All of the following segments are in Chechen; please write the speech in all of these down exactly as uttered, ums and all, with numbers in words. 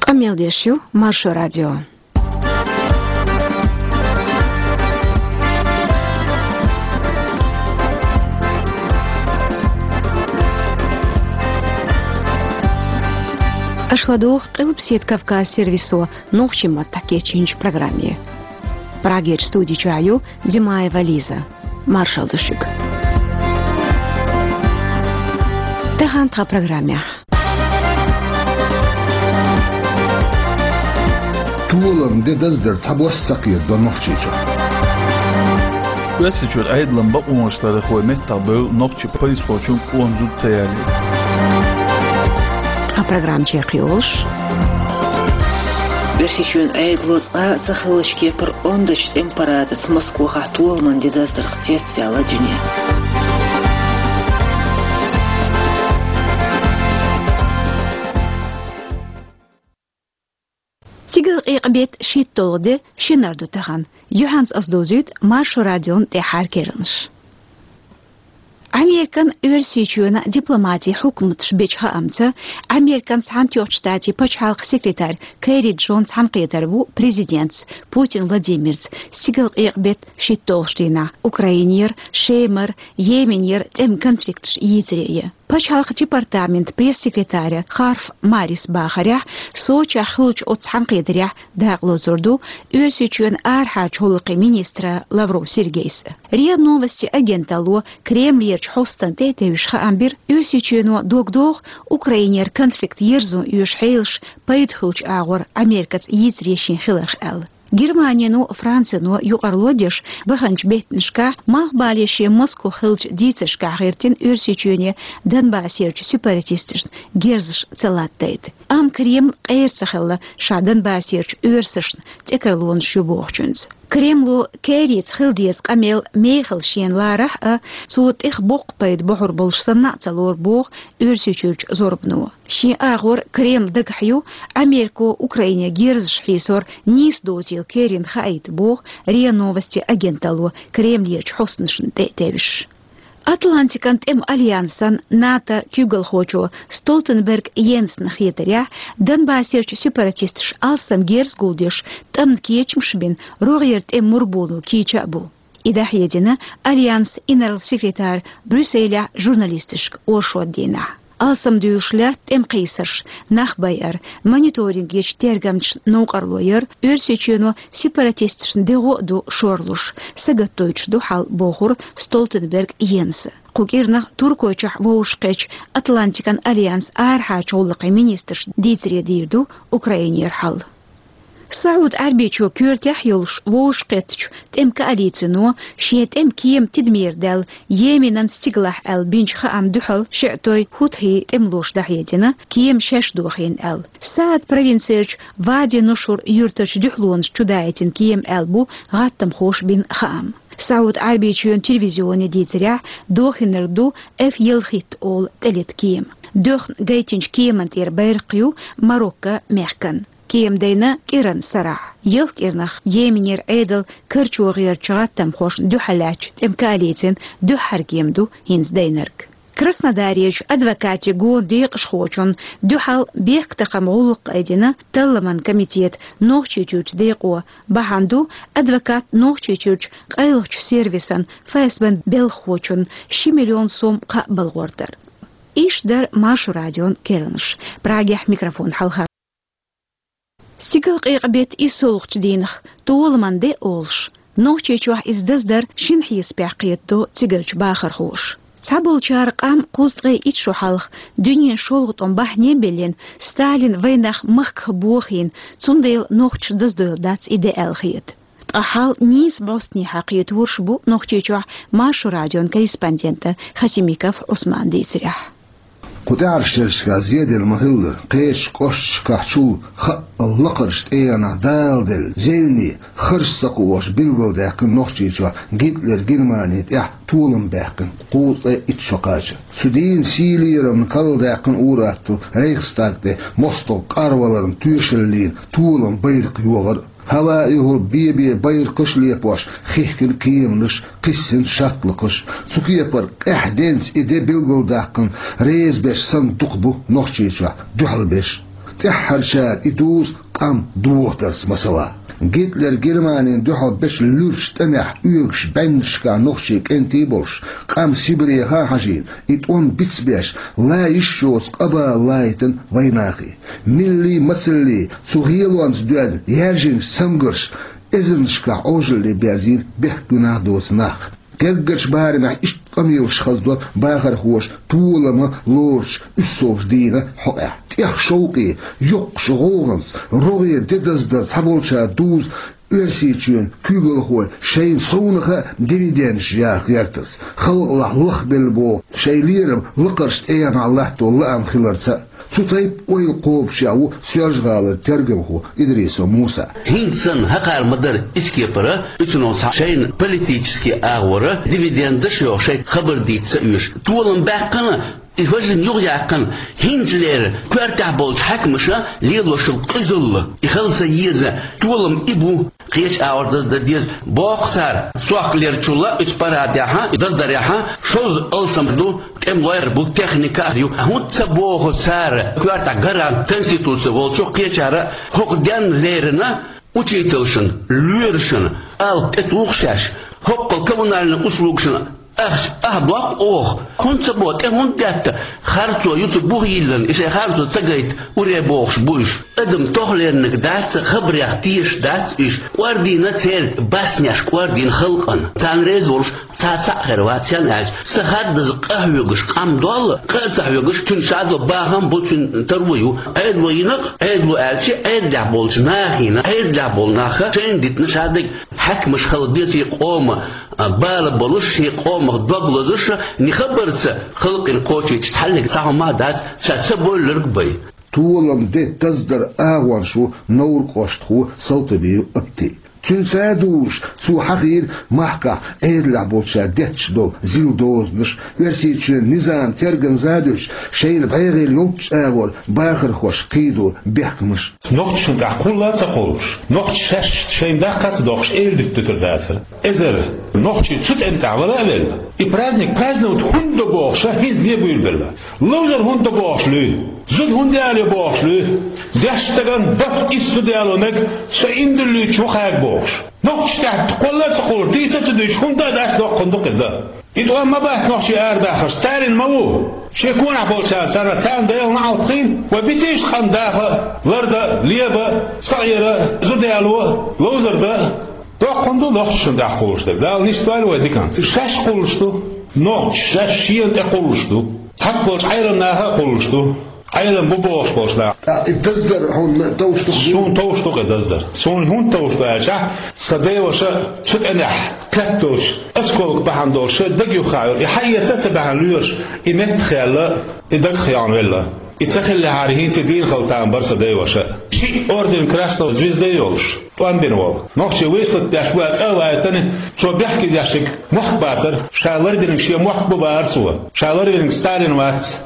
Къамел деш ю Маршо радио. Аша ладугӀу Къилбаседа Кавказ сервисо нохчийн маттахь кечйинчу программе. Прагерчу студи чохь ю Димаева Лиза. Маршалла ду шуьга. Тахана тхан программехь. Толам де даздар цхьабосса ца кхетадо Нохчийчохь. Оьрсийчуьра Ӏедалан бакъонаш ларъярхой меттахбевлла нохчийн пайхамархочун къона зуда ца ялийта. Ткъа программа чекхйолуш. Оьрсийчоьнан Ӏедало цкъа а ца хиллачу кепара ондачу тӀеман парадаца Москвахь толаман де даздарх цецдаьлла дуьне. Стигалкъекъа-беттан шийтталгӀа де, шинара ду тахана. Юьхьанца аса довзуьйту Маршо радион тӀаьххьара керланаш. Американ, Оьрсийчоьнан дипломатийн хьукматаш бечу хаамца, Американ Цхьаьнатоьхначу Штатийн пачхьалкхан секретарь Керри Джон цхьаьнакхетар ву президентца Путин Владимирца стигалкъекъа-беттан шийтталгӀачу дийнахь Украинера, Шемара, Йеменера тӀеман конфликташ йийцаре. Пачхьалкхан департаментан пресс-секретарь Харф Марис бахарехь, Сочехь хуьлучу оццу цхьаьнакхетарехь дакъалоцур ду Оьрсийчоьнан арахьарчу гӀуллакхийн министра Лавров Сергейс. РИА Новости агенталло Кремлерчу хьостана тӀе а тевжаш хаам бира, Оьрсийчоьно дог доху Украинера конфликт ерзо оьшу хьелаш пайда хуьлучу агӀор Америкаца йийцаре шен хиларх аьлла. Германино, Францино юкъарло деш баханчу беттанашкахь, малхбале шен Москва хиллачу дийцаршкахь гӀиртина Оьрсийчоьне Донбассерчу сепаратисташна герзаш ца латтадайта. Амма Кремль къера ца хилла ша Донбассерчу оьрсашна тӀекарлонаш ю бохучуьнца. Кремло Керрица хила деза къамел мехала шена ларахь а, цо тӀех боккха пайда бохьур болуш санна а ца лору боху Оьрсийчуьрчу зорбано. Шен агӀор Кремль дагахь ю Америко Украине герзаш хьийсор нийса доцийла Керрина хаийта боху РИА Новости агенталло Кремлерчу хьостанашна тӀе а тевжаш. Атлантикан тӀеман альянсан НАТО куьйгалхочо Столтенберг Йенсна хетарехь, Донбассерчу сепаратисташа алсам герз гулдеш тӀамна кечамаш бина рогӀера тӀеман мурбоно кийча а бу. И дӀахьедина альянсан инарла секретара Брюсселехь журналисташка оршот дийнахь. Алсамдуьйлуш лаьтта тӀеман кхийсарш, нах байар, мониторингечу тергамчашна новкъарло яр, Оьрсийчоьно сепаратисташна дегӀо а ду шорлуш, сагатдойтуш ду хьал, бохура Столтенберг Йенса. Кху кӀирнах Туркойчохь вовшахкхеттачу Атлантикан альянсан арахьарчу гӀуллакхийн министраш дийцаре дийр ду Украинера хьал. СаӀуд-Ӏаьрбийчоь коьртехь а йолуш вовшахкхеттачу тӀеман коалицино шен тӀеман кема тидамера даьлла Йеменан стигалахь аьлла бинчу хаамна дуьхьал шиӀитой хӀутхи тӀемалоша дӀахьедина, кема шаьш дохийна аьлла. Саад провинцерчу Вади Нушур юьртарчу дуьхьалонашна чудаийтина кема аьлла бу гӀаттамхоша бина хаам. СаӀуд-Ӏаьрбийчоьнан телевизионе дийцарехь, дохийнарг ду эф ялхитта олу тӀелета кема. Доьхна гайтинчу кеман тӀера байракх ю Марокко мехкан. Кема дайна кӀиран сарахь. Ялх кӀирнах Йеменера Ӏедал карчо гӀертачу гӀаттамхошна дуьхьал лаьттачу тӀеман коалицин дуьххьара кема ду хӀинца дайнарг. Краснодарерчу адвокатийн гонан декъашхочунна дуьхьал бехктакхаман гӀуллакх айдина Талламан комитетан Нохчийчуьрчу декъо. Бахьана ду адвокат Нохчийчуьрчу къайлахчу сервисан ФСБ-н белхахочунна ши миллион сом кхаъ балхор дар. Иштта дара Маршо радион керланаш. Прагехь микрофон хьалха Стигалкъекъа-беттан иссолгӀачу дийнах толаман де олуш, Нохчийчохь иза даздар шина хьесапехь кхетадо цигарчу бахархоша. Цхьаболчара къам кхузткъе итт шо хьалха дуьненан шолгӀа тӀом бахьане а биллина, Сталина вайнах махках бохийна, цундела нохчаша даздойла дац и де аьлла хета. Ткъа хьал нийса бӀостанехьа кхетарш бу Нохчийчохь Маршо радион корреспондента Хасимиков Ӏусмана дийцарехь. Кху тӀаьхьарчу шерашкахь зеделла ма-хиллара, кхечу кӀошташкахь чул хаъал лакхарчу тӀегӀанах даладелла зевне, харш ца кхоош билгалдаьккхина Нохчийчохь Гитлер Германи тӀехь толам баьккхина кхузткъе итт шо кхача. Цу дийнан сий лерамна карладаьккхина ур-атталла Рейхстаг тӀе мостагӀ кӀарваларна тоьшаллина толам байракх йогӀар а. ХӀаваэхула бе-бе байракхаш а лепош хихкина кеманаш, кхиссина шаттлакхаш. Цу кепара къаьхьа денз и де билгалдаккхина, реза берш санна дукха бу Нохчийчохь дуьхьал берш. ТӀеххьарчара и дузу къам дохадарца масала. Гитлер Германина дуьхьал бечу луьрачу тӀамехь оьгуш бӀеннашкахь нохчий кӀентий болуш, къам Сибреха а хьажийна, и тӀом бицбеш, ла йиш йоцу къа-бала лайтина вайнахе. Милли а, мацалли а цу гӀелонца доьзна яьржинчу цамгарш эзарнашкахь Ӏожалле берзийна бехк-гуьнахь доцу нах. Гергарчу барамехь иштта къамелаш хазадо бахархоша толам лоручу уьссалгӀачу дийнан хьокъехь. ТӀех шовкъе, йоккхачу гӀовгӀанца, рогӀера де даздар цхьаболчара дузу Оьрсийчоьнан куьйгалхой шайна совнаха а дивидендаш яха гӀертарца, халкъалахь лахбелла боху шайн лерам лакхарчу тӀегӀанехь латто лаам хиларца а. Цу тайпа ойла кхобуш ву Соьлжа-ГӀалара тергамхо Идрисов Муса. ХӀинца санна хӀокхара ма-дарра иза кепара, оцунах цхьа шайна политически агӀора дивидендаш а йоху шайна хабар дийца ца оьшу. Толам баьккхина, и важа юхаяьккхина, хӀинцалера коьртехь болчу хьаькамаша лелош йолу къизалла, и хила ца еза, толам и бу. Кхечу агӀор даздан деза, боху цара, сохкалерчул а оцу парадехь а, даздарехь а, шозза алсам ду, тӀемалойр бу, техника а ю. ХӀунда ца боху цара, коьртехь гарант конституци волчу кхечара а, хӀокху денна леррина учительшна, лоьрашна, алапа тӀетуху шаьш, хӀокхул коммунальни услугашна ахча ахь доккху оха, хӀунда ца боху, тӀе хӀунда детта, харцо ю цу буха йиллина, и шайн харцо ца гайта уре бохуш бу уьш. Адам тохлерниг дац, хабарех тешаш дац уьш. КӀордийна церан баснеш, кӀордийна халкъана. Царна реза волуш цхьа цхьаъ хир вац, сан аьлча, сан хаддаза къа хьоьгуш къам долла, къа а ца хьоьгуш, цуьнан шадо бахам бу, цуьнан таро ю. Ӏедало йина-кх, Ӏедало аьлча, Ӏедалехь болчу нахана, Ӏедалехь болу нах шайна дитина шадерг хьаькамаш хила беза шен къоман, а, бала болуш, шен къомах дог лозуш, ни хабарца халкъана кхочуьйтуш цхьаьллиг цхьа хӀума а дац, ша ца бовлларг бен. Толам де даздаран агӀонаш ву Невран кӀоштан Салтабиев Апти. Цуьнца а дузуш, цо хьахийра махкахь Ӏедалехь болчара детташ долу зил дозанаш, Оьрсийчоьнан низаман тергамза а дуьтуш, шайна бӀегӀийла йолчу агӀор бахархошна кхийдо бехкамаш. Нохчашна тӀехь кхулла а ца кхуллуш, нохчаша шаьш шайна даккха а ца доккхуш, эладита дуьтур дацара. Эзар нохчий цу тӀеман тӀехь вала а велла, и праздник праздновать хӀунда до бохуш, хӀинца бен буьйлабелла. Ловзар хӀунда до бохуш луьй, зуда хӀунда ялайо бохуш луьй, дешначу стагана барт иштта зуда яло мега, со иман диллича ву кхаьрга бохуш. Нохчашна тӀехь кхулла а ца кхуллуш, дийца а ца дуьйцуш, хӀунда а дац, доккха хӀума ду-кх иза дан. И тӀом ма бац нохчий арабаьхнарш, Сталин ма ву. Шен конахь болчарна, царна, царна Делан неӀалт хуьлда, вай битийша къам даха, лардан, лебан, сакъера, зуда яло, ловзар дан. Доккха хӀума ду нохчашна тӀехь кхуллуш дерг. Дала нисдойла вай диканца. Шаьш кхуллуш ду. Нохчаша шаьш шена тӀе кхуллуш ду. Цхьацца болчу Ӏеламнаха а кхуллуш ду. Ӏелам бу бохуш болчу наха. ТӀаккха и даздар хьуна товш ду-кх? Суна товш ду-кх и даздар. Суна хӀунда товш ду аьлча, сан деваша цу тӀамехь кхетталуш, осколка бахьана долуш шайн дага юххехь йолу, и хьаэца а ца баьхьна лоьраш, и меттахъяьлла, и дагахъяьлла велла. И ца хиллехьара, хӀинца дийна хила там бара сан деваша. Шиъ орден Красного Звезды йолуш, тӀом бина волу. Нохчийн выставка деш ву аьлла цӀа а ваийтина, цо бехке дешнарг мохк бацара, ша ларвинарг шен мохк бу бахара цо. Ша ларвинарг Сталин вац.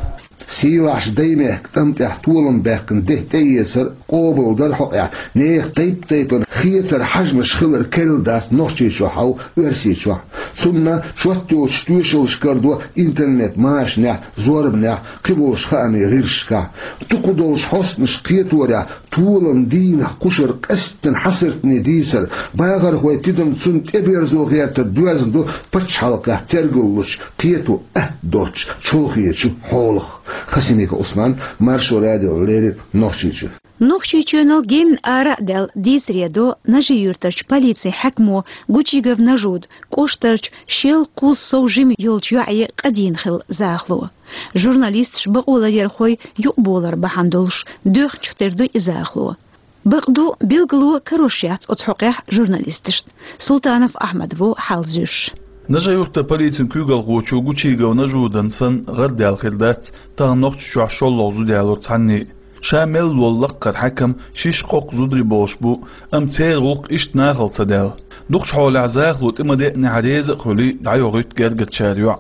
Сийлахьчу Даймехкан тӀам тӀехь толам баьккхина де тӀеэцар, къобалдар хьокъехь, нехан тайп-тайпана хетар, хьежамаш хилар керла дац Нохчийчохь а, Оьрсийчохь а. Цунна чот йоцуш тоьшаллаш карадо интернет-машанехь, зорбанехь, кхиболчу хаамийн гӀирсашкахь. Дукхах долчу хьостанаша кхеторехь, толам дийнахь кхушара къаьсттина хьасартане дийцар, бахархойн тидам, цунна тӀеберзо гӀертар доьзна ду пачхьалкхехь тергаллучу, кхето атта доцучу чолхечу хьолах. Хасимиков Ӏусман, Маршо радиона леррина, Нохчийчоь. Нохчийчоьнал генна ара а даьлла дийцаре до Нажи-Юьртарчу полицин хьаькамо Гучигов Нажуда кӀоштарчу шел-кхузза сов жима йолчу йоӀе къа дийна хилла захало. Журналисташ, бакъоларъярхой юкъаболар бахьана долуш доьхначух тера ду и захало. Бакъду, билгало карош яц оцу хьокъехь журналисташна. Султанов Ахьмад ву хьал зуьйш. Нажи-Юьртан полицин куьйгалхочо Гучигов Нажудан санна гӀарадаьлла хир дац тахана Нохчийчохь шолгӀа зуда ялорца цхьанне а. Ша мел волу лаккхара хьаькам шишша-кхоккха зударий болуш бу, амма церан гӀуллакх иштта нахала ца даьлла. Дукхачу хьолехь захало тӀе ма деънехь, реза а хуьлий, дӀайохуьйту гергарчара йоӀ.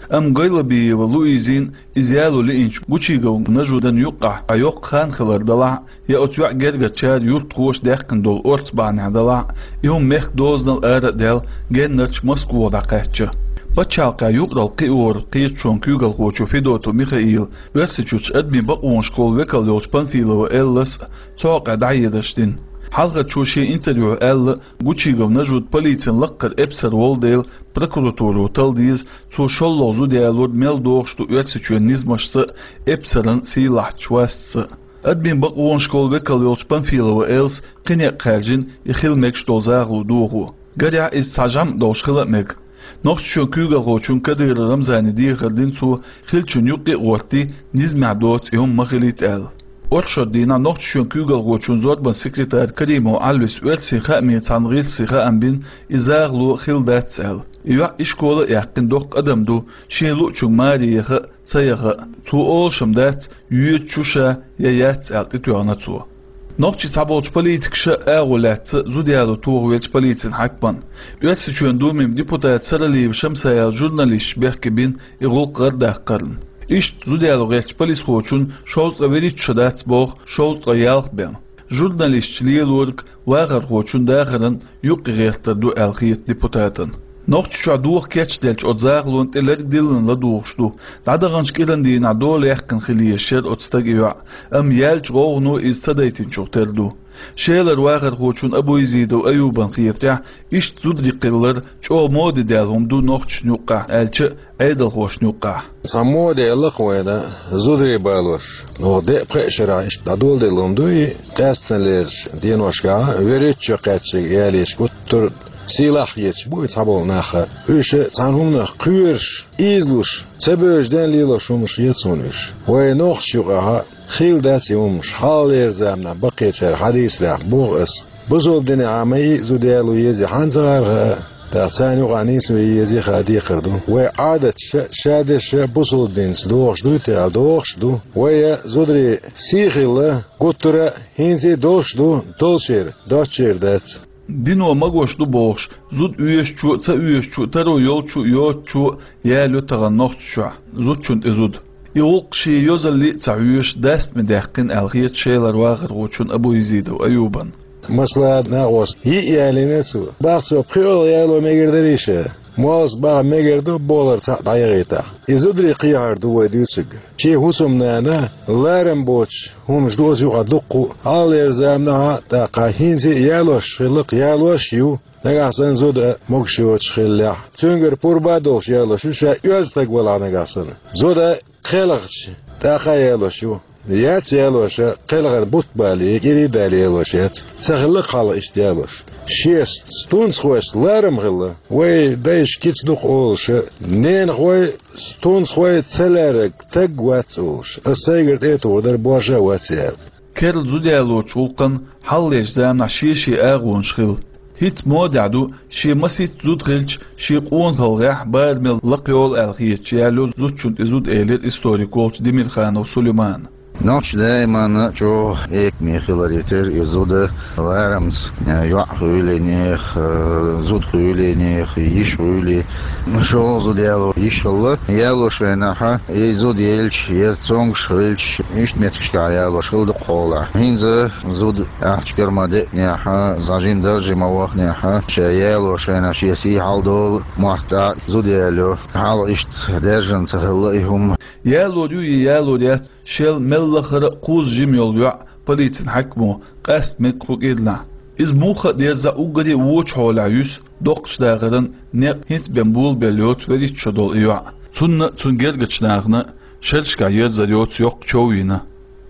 Амма Гайлабиева Луизина иза яло лиъначу Гучигов Нажудан юккъехь а йоккха хан хилар делахь а, я оцу йоьӀан гергарчара, юьртахоша даьккхина долу орца бахьанехь делахь а, и хӀума мехкан дозанал ара а даьлла, геннарчу Москвахь дӀакхаьчча. Пачхьалкхехь юкъаралла кхиоран кхеташонан куьйгалхочо Федотов Михаила, Оьрсийчуьрчу адамийн бакъонашкахула векал йолчу Панфилова Эллас цу хьокъехь дӀахьедарш дина. Хьалхарчо шен интервьюхь аьлла, Гучигов Нажуда полицин лаккхара эпсар волу дела, прокуратуро талла деза, цо шолгӀа зуда ялор мел догӀуш ду Оьрсийчоьнан низамашца а, эпсаран сийлахьчу вастца а. Адамийн бакъонашкахула векал йолчу Панфилова Эллас кхин некъ хаьржина и хила мегаш долу захало дохо. Гарехь, иза цхьа жамӀ долуш хила а мега. Нохчийчоьнан куьйгалхочунна Кадыров Рамзане дехар дина цо, хиллачунна юккъе а гӀоттий, низамехь доцу и хӀума ма хилийта аьлла. Оршот дийнахь Нохчийчоьнан куьйгалхочун зорбанан секретарь Каримов Ӏалвис оьрсийн хаамийн цхьана гӀирсе хаам бина, и захало хилла дац аьлла. И йоӀ ишкола а яьккхина доккха адам ду, шен луучуьнга маре яха а, ца яха а. Цо олуш-м дац, йоьду шу ша я яц аьлла, тӀетоьхна цо. Нохчийн цхьаболчу политикаша а агӀо лаьцна зуда яло тохавелча полицин хьаькамна. Оьрсийчоьнан Думин депутат Саралиева Шамсаел журналисташ бехке бина и гӀуллакх гӀардаккхарна. Иштта зуда яло гӀертачу полисхочун шовзткъе вуьрхӀитта шо дац боху, шовзткъе ялх бен. Журналисташ лелориг вахархочун дахаран юккъе гӀертар ду аьлла хета депутатана. Нохчийчохь доха кечделлачу оцу захалонна тӀе лерг диллина ладугӀуш ду. ДӀадаханчу кӀиран дийнахь дола яьккхина хила езаш яра оцу стага и йоӀ, амма яьллачу гӀовгӀано иза ца дайтинчух тера ду. Шелара вахархочун Абуязидов Аюбан хетарехь, иштта зударий кхиллар чӀогӀа моде даьлла хӀума ду нохчашна юккъехь, аьлча а, Ӏедалхошна юккъехь. Цхьа моде лакха вайна зударий балош, оха деа-пхеа шарахь иштта дӀадоладелла хӀума ду и, къаьсттина лерачу деношкахь а, вуьрхӀитта шо кхаьчнарг ялийча гуттар а сийлахь хеташ бу и цхьаболу нах а. Уьш цхьана хӀуманах кхоьруш, ийзалуш, ца бевзачу ден лелош хӀуманаш ю цунна уьш. Вай нохчашна юкъахь а хилла дац и хӀуманаш, хьалхалера заманахь баккхийчара хьадийцарехь боху ас. Бусалба динехь а ма и зуда яло еза хьанна ца гӀарха а, тӀаккха царна юкъахь нийса ве еза хаа декхар ду. Вай Ӏадаташа а, шадерша а бусалба динца догӀуш дуй те аьлла, догӀуш а ду. Вай а зударий сий хилла, гуттара а хӀинца а долуш а ду, долчеран, доцчеран дац. Дино магош ду бохуш, зуда оьшучо а, ца оьшучо а, таро йолчо а, йоцучо а ялайо тахана Нохчийчохь зудчунна тӀе зуда. И гӀуллакх шен йозалле а ца хьоьжуш, дастаме даьккхина аьлла хета Шелара вахархочун Абуязидов Аюбан. Масала, накъост йиъ ялийна цо. Бах цо, пхоьалгӀа яло мегар дарий ша? Моллас баха мегар ду, болар цхьаъ дӀаяхийтахь. И зударий кхехьар ду вай дуьйцург. Шен хӀусамнана ларам боцуш хӀуманаш ду оцу юкъахь дуккха а, хьалхалера заманахь а, тӀаккха хӀинца а ялош хилла-кх, ялош а ю. Нагахь санна зуда могуш йоцуш хиллехь, цуьнгара пурба а долуш ялош ю, ша оьзда стаг валахь нагахь санна. Зуда кхелхича, тӀаккха а ялош ю. Яц ялош а, кхелхина бутт бале, кӀирий а дале ялош яц. Ца хилла-кх хьалха иштта ялош. Шеца, стунцхойца ларам хилла. Вай дайша кица дукха олуш а, ненахой, стунцхой ца лаьрриг стаг вац олуш. Ас сайгара тӀе а тухур дара, боша а вац аьлла. Керла зуда ялочу гӀуллакхан хьалхалерчу заманахь шен-шен агӀонаш хилла. ХӀинца модехь ду, шен масийтта зуда хилча, шен къонахаллехь барамел лакха йолу аьлла хеташ ялайо зудчунна тӀе зуда, элира историк волчу Демирханов Сулеймана. Нохчаша даиманна а чӀогӀа экаме хиларе терра и зуда, ларамца, э, йоӀ хуьлий нехан, э, зуда хуьлий нехан, йиша хуьлий. ШолгӀа зуда яло йиш хилла, ялочу хенахь а, и зуда елча, я цомгуш хилча, иштта меттигашкахь ялош хилла дукхахьолахь. ХӀинца зуда ахча кара ма деънехьа, зӀажин дарже ма вахнехьа, ша ялочу хенахь шен сий хьалдолу, мотт а зуда ялайо. Хьалха иштта даьржина ца хилла и хӀума. Ялор ю я ялор яц, шел мел лахара а кхузза жима йолу йоӀ полицин хьаькамо къаста мега кху кӀиранахь. Иза муха а дерзахь, уггаре а вочу хьолехь юьсу доккхачу дахаран некъ хӀинца бен болабелла йоцу вуьрхӀитта шо долу и йоӀ. Цунна а, цуьнан гергарчу нахана а шерашкахь ерзар йоцу йоккха чов йина.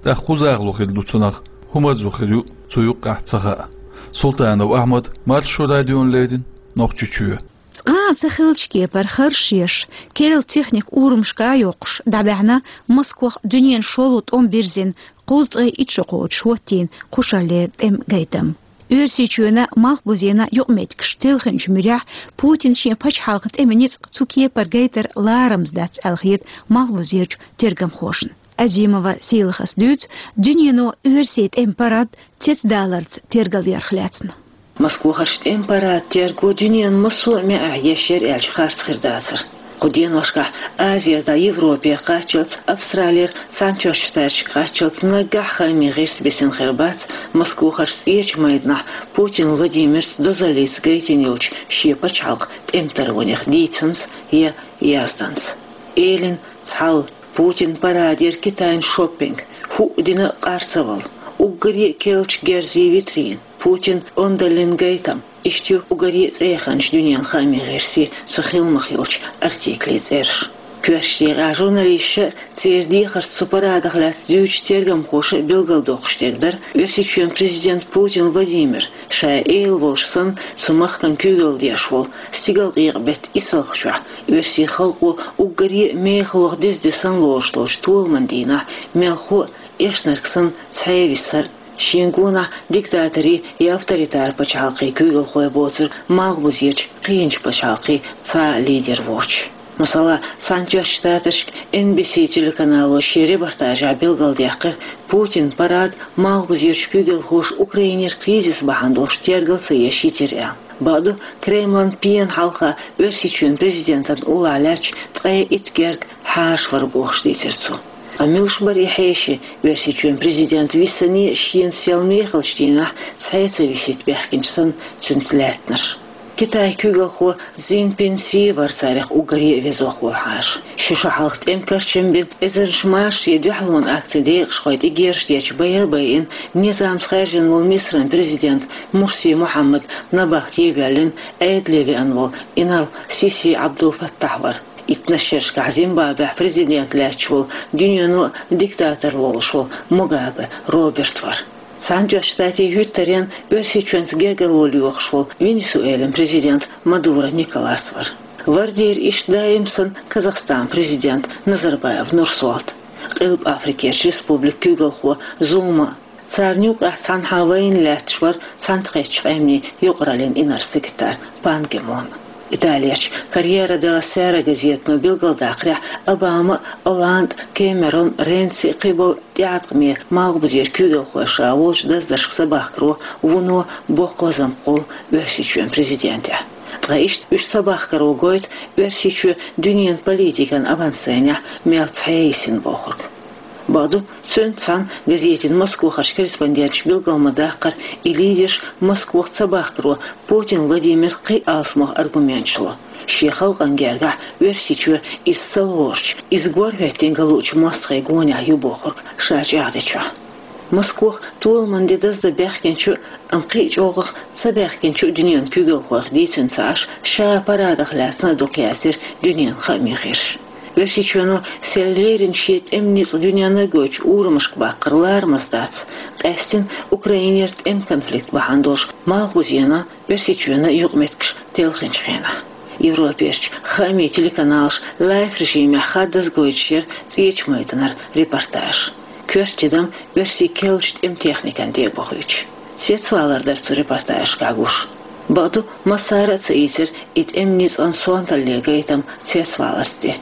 ТӀаккха хӀун захало хир ду цунах, хӀун марзо хир ю цу юккъехь ца хаьа. Султанов Ахьмад, Маршо радиона леррина, Нохчийчоь. Цкъа а ца хиллачу кепара харш еш, керла техника урамашка а йоккхуш, дӀабаьхьна Москвахь дуьненан шолгӀа тӀом бирзина, кхузткъе итт шо кхочуш хӀоттийна кхушарлера тӀеман гайтам. Оьрсийчоьнан, Малхбузенан юкъаметтигаш телхинчу муьрехь Путина шен пачхьалкхан тӀеман ницкъ цу кепара гайтар ларамза дац аьлла хета малхбузерчу тергамхошна. Азимова Сийлахас дуьйцу дуьнено оьрсийн тӀеман парад цецдаларца тергалъярх лаьцна. Москвахарчу тӀеман парадан терго дуьненан массо а маьӀехь еш яра аьлча харц хир дацара. Кху деношкахь Азера дӀа Европе кхаччалц, Австралера Цхьаьнатоьхначу Штаташка кхаччалц наггахь хаамийн гӀирс бисина хир бац Москвахарчу ЦӀечу майданахь Путин Владимирца дозаллица гайтина йолчу шен пачхьалкхан тӀематарванех дийцинца я язданца. Элина цхьаьна Путинан парадера Китайн шоппинг, хӀуъа дина къарцавалла, уггаре а керлачу герзийн витрина, Путинан ондаллин гайтам, иштта ю уггаре а цӀеяханчу дуьненан хаамийн гӀирсийн цу хиламах йолчу артиклийн цӀераш. Коьртачу декъехь журналисташа а, церан дехарца цу парадах лаьцна дуьйцучу тергамхоша а билгалдоккхуш дерг дара Оьрсийчоьнан президента Путин Владимира, ша Эла волуш санна, цу махкана куьйгалла деш волу, стигалкъекъа-беттан исалгӀачохь, оьрсийн халкъо уггаре а мехаллех деза де санна лоруш долчу толаман дийнахь мелхо а, эшнарг санна, цхьаьна висар а, шен гонахь диктаторийн я авторитар пачхьалкхийн куьйгалхой боцург, малхбузерчу кхечу пачхьалкхийн цхьа а лидер воцуш. Масала, Цхьаьнатоьхначу Штаташкахь Эн Би Си телеканало шен репортажехь билгалдаьккхира Путинан парад малхбузерчу куьйгалхоша Украинера кризис бахьана долуш тергал ца еш йитира аьлла. Бакъду, Кремлан пенан хьалха Оьрсийчоьнан президентана уллохь лаьтташ ткъе итт герга хьаша вара бохуш дийцира цо. Ткъа муьлш бара и хьеший, Оьрсийчоьнан президент висине а шена сел мехалчу дийнахь цхьаьна ца висийта баьхкинчу санна цуьнца лаьттинарш? Китайн куьйгалхо Цзиньпин Си вара царех уггаре а везох волу хьаша. Ши шо хьалха тӀеман карчам бина, эзарнаш машарийн дуьхьалонан акцийн декъашхой тӀе герзаш дечу байа а байина, низамца хаьржина волу Мисран президент Мурси Мухьаммад набахте а воьллина, Ӏедале веана волу инарла Сиси Ӏабдул-Фаттахь вара. Иттаннаш шерашкахь Зимбабвехь президент лаьтташ волу, дуьнено диктатор лолуш волу Мугабе Роберт вара. Цхьаьнатоьхначу Штатийн хӀуьттаренна Оьрсийчоьнца гергарло лоьхуш волу Венесуэлин президент Мадуро Николас вара. Вардера иштта даим санна Казахстанан президент Назарбаев Нурсултан, Къилба Африкерчу республикан куьйгалхо Зума, царна юкъахь цхьанхьа вайна лаьтташ вара цхьаьнакхеттачу къаьмнийн юкъараллин инарла секретарь Пан Ги Мун. Италерчу Корьеро делла Сера газетано билгалдаккхарехь, Обама, Олланд, Кэмерон, Ренци, кхиболу тӀеӀаткъаме малхбузера куьйгалхой ша волчу даздаршка цабахкаро вуно боккха лазам кхоллу Оьрсийчоьнан президентехь. Ткъа иштта уьш цабахкаро гойту Оьрсийчоь дуьненан политикан авансценехь мел цхьаьна йисина бохург. Бакъду, цуьнца цхьаьна газетин Москвахарчу корреспонденташа билгал ма-даккхара, и лидерш Москвах цабахкаро Путин Владимира кхин а алсамох аргументаш ло. Шен халкъана гергахь Оьрсийчоь иза ца лоручу, иза горхӀоьттина ган луучу мостагӀийн гонехь ю бохург ша чӀагӀдечохь. Москвах толаман де даздан баьхкинчу, амма кхин а чӀогӀах ца баьхкинчу дуьненан куьйгалхойх дийцина ца Ӏаш, ша парадах лаьцна а дукха яздира дуьненан хаамийн гӀирсаша. Оьрсийчоьно сел леррина шен тӀеман ницкъ дуьненна гойтучу урамашка баккхар ларамаза дац, къаьстина Украинера тӀеман конфликт бахьана долуш малхбузенан, Оьрсийчоьнан юкъаметтигаш телхинчу хенахь. Европерчу хаамийн телеканалаша лайв-режимехь хаддаза гойтуш яра ЦӀечу майданара репортаж. Коьрта тидам оьрсийн керлачу тӀеман техникан тӀе а бохуьйтуш. Цецвалар дара цу репортажашкахь гуш. Бакъду, массара а ца ийцира и тӀеман ницкъан сонталле гайтам цецваларца тӀе.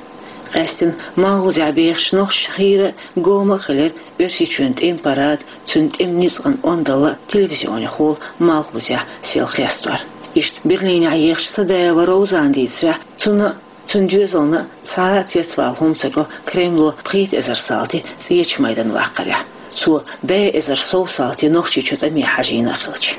Къаьстина малхбузехь бехачу нохчашна хийра а, гома а хилира Оьрсийчоьнан тӀеман парад, цуьнан тӀеман ницкъан ондалла телевизионехула малхбузехь сел хестор. Иштта Берлинехь ехачу Садаева Роузана дийцарехь, цунна а, цуьнан доьзална а цхьа а цецвала хӀума ца го Кремло пхийтта эзар салти ЦӀечу майдана ваккхарехь. Цо бӀе эзар сов салти Нохчийчу тӀаме хьажийна а хилча.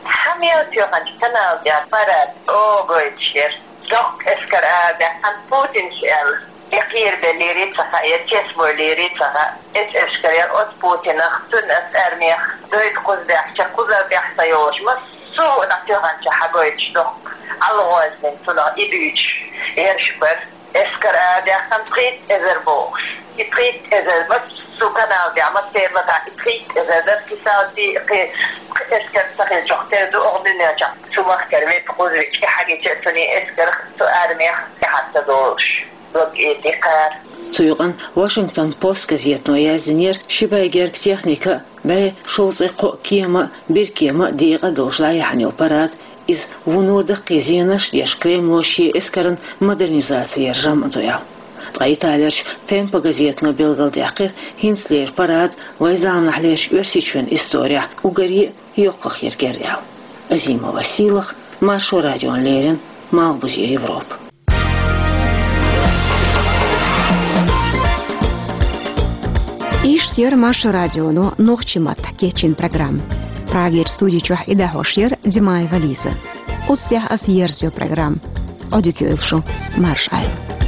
Хьан мел тоьхначу канал тӀехь парад чӀогӀа гойтуш яра. Доккха эскар арадаьккхина Путинца аьлла. Я кхерабеллера ца хаьа, я цецбойла ца хаьа. Эс эскар яра оцу Путинах, цуьнан оцу армех, дойта кхуза баьхча, кхузара баьхка йолуш, массо а дӀатоьхначохь хьагойтуш доккха, ӀалгӀознин цунах и дуьйцуш ерш бара. Эскар арадаьккхина пхийтта эзар бохуш. И пхийтта эзар массо а канал тӀехь, массеран маттахь и пхийтта эзар дара, кхин салти, кхин, кхин эскар ца хилчахь тера ду оха дуьнен чохь. Цу махкара ветта кхуза вича, и хьагича цуьнан эскарх, цу армех тӀаьхьа ца долуш. Дог эти кхара. Цу юкъана Вашингтон Пост газетано яздинера, ши бӀе герга техника а, бӀе шовзткъе кхоъ кема а, биркема а, декъа а долуш дӀаяьхьна йолу парад, иза вуно даккхий зенаш а деш, Кремло шен эскаран модернизаци яран жамӀ а ду аьлла. Ткъа Италерчу Темпо газетано билгалдаьккхира, хӀинцалера парад вайн заманахьлерчу Оьрсийчоьнан исторехь уггаре а йоккхах ерг яра аьлла. Азимова Сийлаха, Маршо радиона леррина, Малхбузера Европа. Иштта яра Маршо радионо нохчийн маттахь кечйина программа. Прагера студи чохь и дӀахьош яра Димаева Лиза. Оцу тӀехь аса ерзайо программа. Ӏодика йойла шу, марша Ӏойла.